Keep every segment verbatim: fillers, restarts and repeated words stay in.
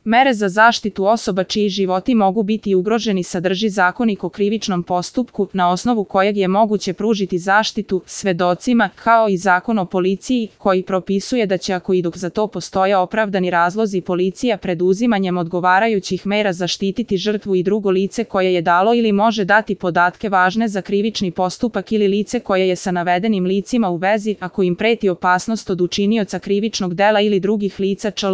Mere za zaštitu osoba čiji životi mogu biti ugroženi sadrži Zakonik o krivičnom postupku, na osnovu kojeg je moguće pružiti zaštitu svedocima, kao i Zakon o policiji, koji propisuje da će, ako i dok za to postoje opravdani razlozi, policija preduzimanjem odgovarajućih mera zaštititi žrtvu i drugo lice koje je dalo ili može dati podatke važne za krivični postupak ili lice koje je sa navedenim licima u vezi, ako im preti opasnost od učinioca krivičnog dela ili drugih lica čl.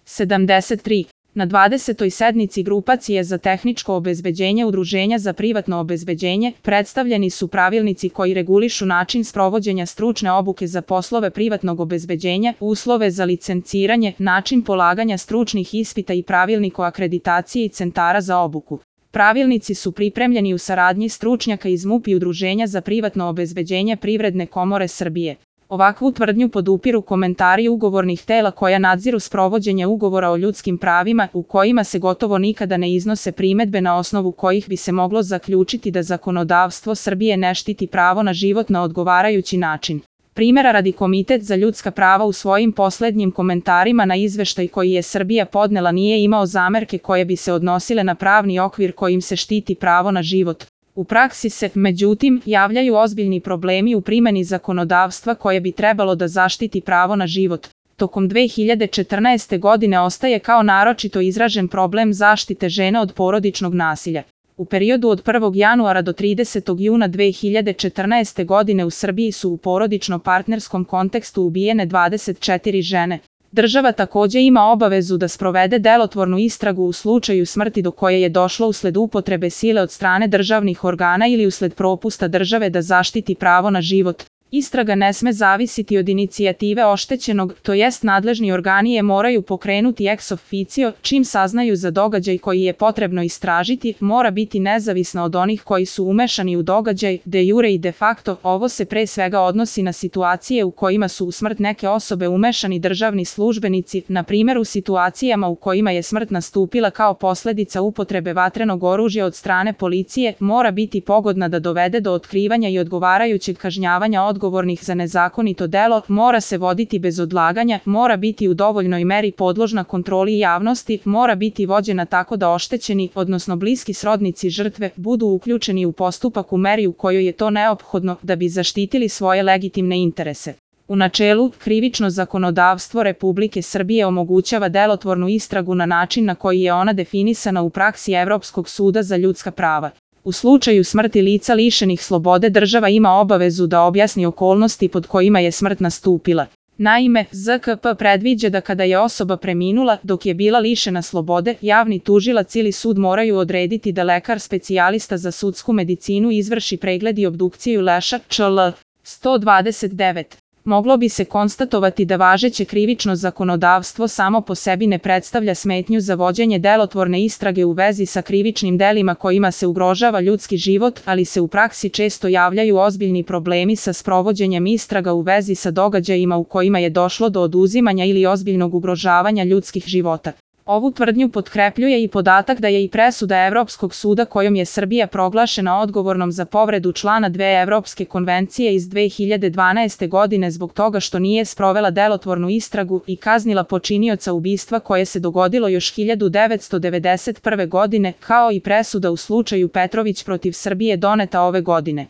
sedamdeset tri. Na dvadesetoj sednici Grupacije za tehničko obezbeđenje Udruženja za privatno obezbeđenje predstavljeni su pravilnici koji regulišu način sprovođenja stručne obuke za poslove privatnog obezbeđenja, uslove za licenciranje, način polaganja stručnih ispita i pravilnik o akreditaciji centara za obuku. Pravilnici su pripremljeni u saradnji stručnjaka iz MUP i Udruženja za privatno obezbeđenje Privredne komore Srbije. Ovakvu tvrdnju podupiru komentari ugovornih tela koja nadziru sprovođenje ugovora o ljudskim pravima, u kojima se gotovo nikada ne iznose primedbe na osnovu kojih bi se moglo zaključiti da zakonodavstvo Srbije ne štiti pravo na život na odgovarajući način. Primera radi Komitet za ljudska prava u svojim poslednjim komentarima na izveštaj koji je Srbija podnela nije imao zamerke koje bi se odnosile na pravni okvir kojim se štiti pravo na život. U praksi se, međutim, javljaju ozbiljni problemi u primeni zakonodavstva koje bi trebalo da zaštiti pravo na život. Tokom dve hiljade četrnaeste. godine ostaje kao naročito izražen problem zaštite žena od porodičnog nasilja. U periodu od prvog januara do tridesetog juna dve hiljade četrnaeste. godine u Srbiji su u porodično-partnerskom kontekstu ubijene dvadeset četiri žene. Država takođe ima obavezu da sprovede delotvornu istragu u slučaju smrti do koje je došlo usled upotrebe sile od strane državnih organa ili usled propusta države da zaštiti pravo na život. Istraga ne sme zavisiti od inicijative oštećenog, to jest nadležni organi je moraju pokrenuti ex officio, čim saznaju za događaj koji je potrebno istražiti, mora biti nezavisna od onih koji su umešani u događaj, de jure i de facto. Ovo se pre svega odnosi na situacije u kojima su u smrt neke osobe umešani državni službenici, na primjer u situacijama u kojima je smrt nastupila kao posledica upotrebe vatrenog oružja od strane policije, mora biti pogodna da dovede do otkrivanja i odgovarajućeg kažnjavanja odgovornih za nezakonito delo, mora se voditi bez odlaganja, mora biti u dovoljnoj meri podložna kontroli javnosti, mora biti vođena tako da oštećeni, odnosno bliski srodnici žrtve, budu uključeni u postupak u meri u kojoj je to neophodno da bi zaštitili svoje legitimne interese. U načelu, krivično zakonodavstvo Republike Srbije omogućava delotvornu istragu na način na koji je ona definisana u praksi Evropskog suda za ljudska prava. U slučaju smrti lica lišenih slobode država ima obavezu da objasni okolnosti pod kojima je smrt nastupila. Naime, Z K P predviđa da kada je osoba preminula dok je bila lišena slobode, javni tužilac ili sud moraju odrediti da lekar specijalista za sudsku medicinu izvrši pregled i obdukciju leša, čl. sto dvadeset devet. Moglo bi se konstatovati da važeće krivično zakonodavstvo samo po sebi ne predstavlja smetnju za vođenje delotvorne istrage u vezi sa krivičnim delima kojima se ugrožava ljudski život, ali se u praksi često javljaju ozbiljni problemi sa sprovođenjem istraga u vezi sa događajima u kojima je došlo do oduzimanja ili ozbiljnog ugrožavanja ljudskih života. Ovu tvrdnju potkrepljuje i podatak da je i presuda Evropskog suda kojom je Srbija proglašena odgovornom za povredu člana dve Evropske konvencije iz dve hiljade dvanaeste. godine zbog toga što nije sprovela delotvornu istragu i kaznila počinioca ubistva koje se dogodilo još hiljadu devetsto devedeset prve. godine, kao i presuda u slučaju Petrović protiv Srbije doneta ove godine.